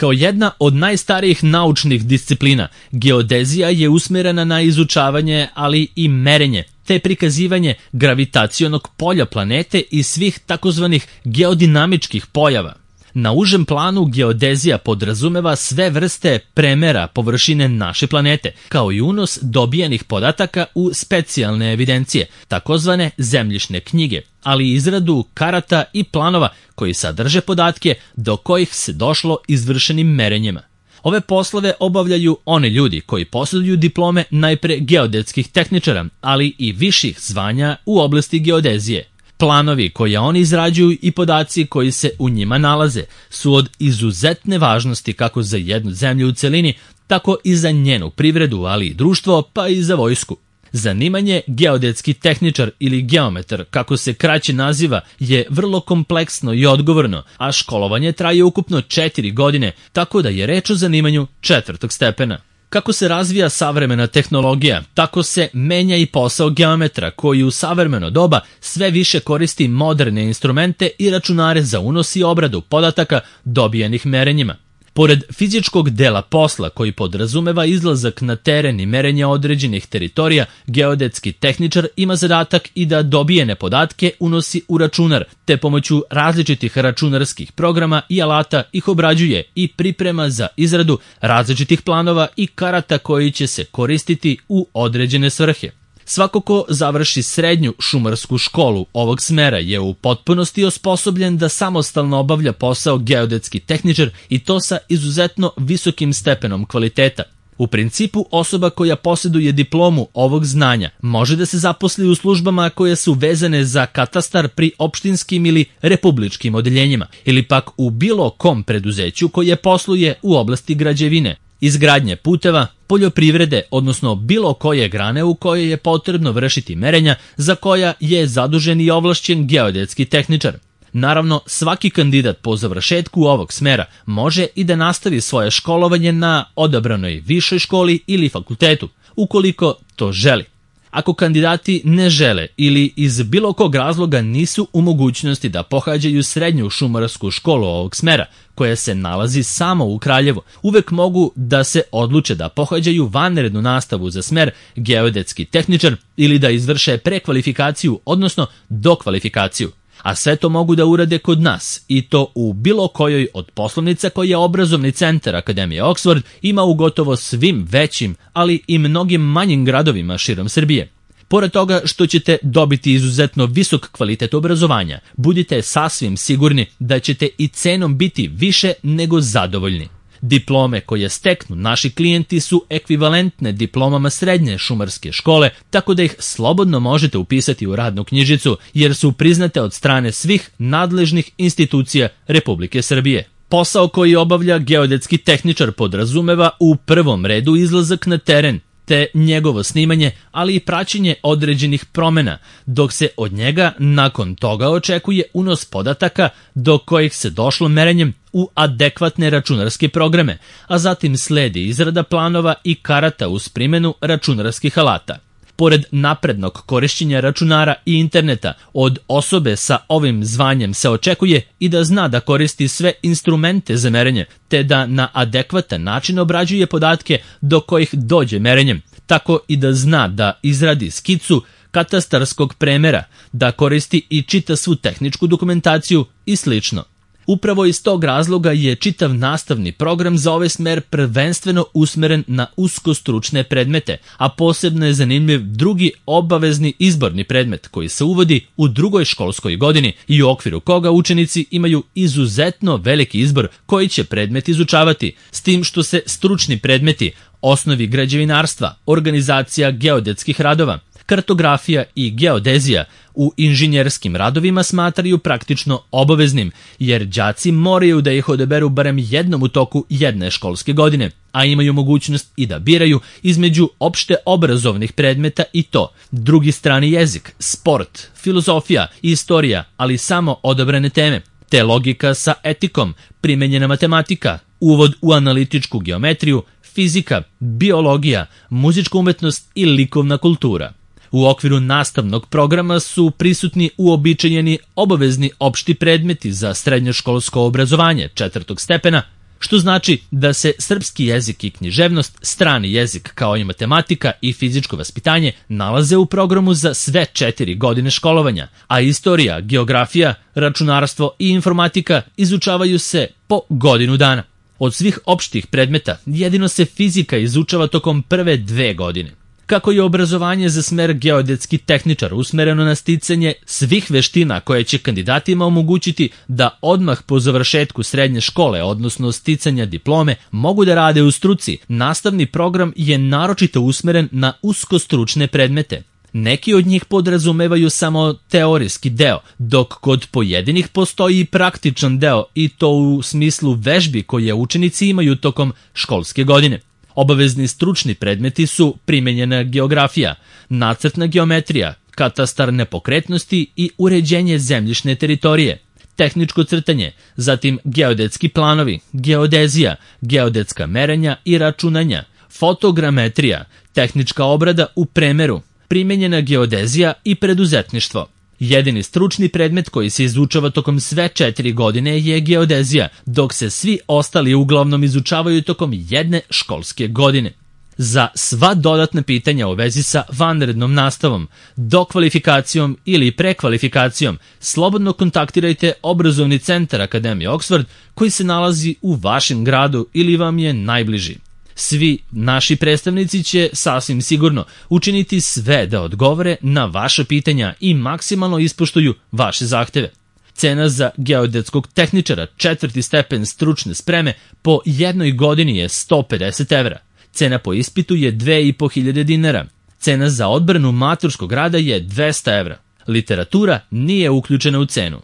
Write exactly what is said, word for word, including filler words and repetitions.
Kao jedna od najstarijih naučnih disciplina, geodezija je usmjerena na izučavanje, ali i merenje, te prikazivanje gravitacionog polja planete i svih takozvanih geodinamičkih pojava. Na užem planu geodezija podrazumeva sve vrste premera površine naše planete, kao i unos dobijenih podataka u specijalne evidencije, takozvane zemljišne knjige, ali i izradu karata i planova koji sadrže podatke do kojih se došlo izvršenim merenjima. Ove poslove obavljaju oni ljudi koji posjeduju diplome najpre geodetskih tehničara, ali i viših zvanja u oblasti geodezije. Planovi koje oni izrađuju i podaci koji se u njima nalaze su od izuzetne važnosti kako za jednu zemlju u celini, tako i za njenu privredu, ali i društvo, pa i za vojsku. Zanimanje geodetski tehničar ili geometar, kako se kraće naziva, je vrlo kompleksno i odgovorno, a školovanje traje ukupno četiri godine, tako da je reč o zanimanju četvrtog stepena. Kako se razvija savremena tehnologija, tako se menja i posao geometra koji u savremeno doba sve više koristi moderne instrumente i računare za unos i obradu podataka dobijenih merenjima. Pored fizičkog dela posla koji podrazumeva izlazak na teren i merenje određenih teritorija, geodetski tehničar ima zadatak i da dobijene podatke unosi u računar, te pomoću različitih računarskih programa i alata ih obrađuje i priprema za izradu različitih planova i karata koji će se koristiti u određene svrhe. Svako ko završi srednju šumarsku školu ovog smera je u potpunosti osposobljen da samostalno obavlja posao geodetski tehničar i to sa izuzetno visokim stepenom kvaliteta. U principu, osoba koja posjeduje diplomu ovog znanja može da se zaposli u službama koje su vezane za katastar pri opštinskim ili republičkim odeljenjima ili pak u bilo kom preduzeću koje posluje u oblasti građevine, izgradnje puteva, poljoprivrede, odnosno bilo koje grane u kojoj je potrebno vršiti merenja za koja je zadužen i ovlašćen geodetski tehničar. Naravno, svaki kandidat po završetku ovog smera može i da nastavi svoje školovanje na odabranoj višoj školi ili fakultetu, ukoliko to želi. Ako kandidati ne žele ili iz bilo kog razloga nisu u mogućnosti da pohađaju srednju šumarsku školu ovog smera, koja se nalazi samo u Kraljevu, uvek mogu da se odluče da pohađaju vanrednu nastavu za smer geodetski tehničar ili da izvrše prekvalifikaciju, odnosno dokvalifikaciju. A sve to mogu da urade kod nas i to u bilo kojoj od poslovnica koje obrazovni centar Akademije Oxford ima u gotovo svim većim, ali i mnogim manjim gradovima širom Srbije. Pored toga što ćete dobiti izuzetno visok kvalitet obrazovanja, budite sasvim sigurni da ćete i cenom biti više nego zadovoljni. Diplome koje steknu naši klijenti su ekvivalentne diplomama srednje šumarske škole, tako da ih slobodno možete upisati u radnu knjižicu jer su priznate od strane svih nadležnih institucija Republike Srbije. Posao koji obavlja geodetski tehničar podrazumeva u prvom redu izlazak na teren, te njegovo snimanje, ali i praćenje određenih promjena, dok se od njega nakon toga očekuje unos podataka do kojih se došlo merenjem u adekvatne računarske programe, a zatim sledi izrada planova i karata uz primjenu računarskih alata. Pored naprednog korišćenja računara i interneta, od osobe sa ovim zvanjem se očekuje i da zna da koristi sve instrumente za merenje, te da na adekvatan način obrađuje podatke do kojih dođe merenjem, tako i da zna da izradi skicu katastarskog premera, da koristi i čita svu tehničku dokumentaciju i slično. Upravo iz tog razloga je čitav nastavni program za ovaj smer prvenstveno usmeren na uskostručne predmete, a posebno je zanimljiv drugi obavezni izborni predmet koji se uvodi u drugoj školskoj godini i u okviru koga učenici imaju izuzetno veliki izbor koji će predmet izučavati, s tim što se stručni predmeti, osnovi građevinarstva, organizacija geodetskih radova, kartografija i geodezija u inženjerskim radovima smatraju praktično obaveznim, jer đaci moraju da ih odaberu barem jednom u toku jedne školske godine, a imaju mogućnost i da biraju između opšte obrazovnih predmeta i to drugi strani jezik, sport, filozofija i istorija, ali samo odabrane teme, te logika sa etikom, primenjena matematika, uvod u analitičku geometriju, fizika, biologija, muzička umetnost i likovna kultura. U okviru nastavnog programa su prisutni uobičajeni obavezni opšti predmeti za srednjoškolsko obrazovanje četvrtog stepena, što znači da se srpski jezik i književnost, strani jezik kao i matematika i fizičko vaspitanje nalaze u programu za sve četiri godine školovanja, a istorija, geografija, računarstvo i informatika izučavaju se po godinu dana. Od svih opštih predmeta jedino se fizika izučava tokom prve dve godine. Kako je obrazovanje za smer geodetski tehničar usmereno na sticanje svih veština koje će kandidatima omogućiti da odmah po završetku srednje škole, odnosno sticanja diplome, mogu da rade u struci, nastavni program je naročito usmeren na uskostručne predmete. Neki od njih podrazumevaju samo teorijski deo, dok kod pojedinih postoji i praktičan deo, i to u smislu vežbi koje učenici imaju tokom školske godine. Obavezni stručni predmeti su primenjena geografija, nacrtna geometrija, katastar nepokretnosti i uređenje zemljišne teritorije, tehničko crtanje, zatim geodetski planovi, geodezija, geodetska merenja i računanja, fotogrametrija, tehnička obrada u premeru, primenjena geodezija i preduzetništvo. Jedini stručni predmet koji se izučava tokom sve četiri godine je geodezija, dok se svi ostali uglavnom izučavaju tokom jedne školske godine. Za sva dodatna pitanja u vezi sa vanrednom nastavom, dokvalifikacijom ili prekvalifikacijom, slobodno kontaktirajte obrazovni centar Akademije Oxford koji se nalazi u vašem gradu ili vam je najbliži. Svi naši predstavnici će sasvim sigurno učiniti sve da odgovore na vaše pitanja i maksimalno ispoštuju vaše zahteve. Cena za geodetskog tehničara četvrti stepen stručne spreme po jednoj godini je sto pedeset evra. Cena po ispitu je dve i po hiljade dinara. Cena za odbranu maturskog rada je dvesta evra. Literatura nije uključena u cenu.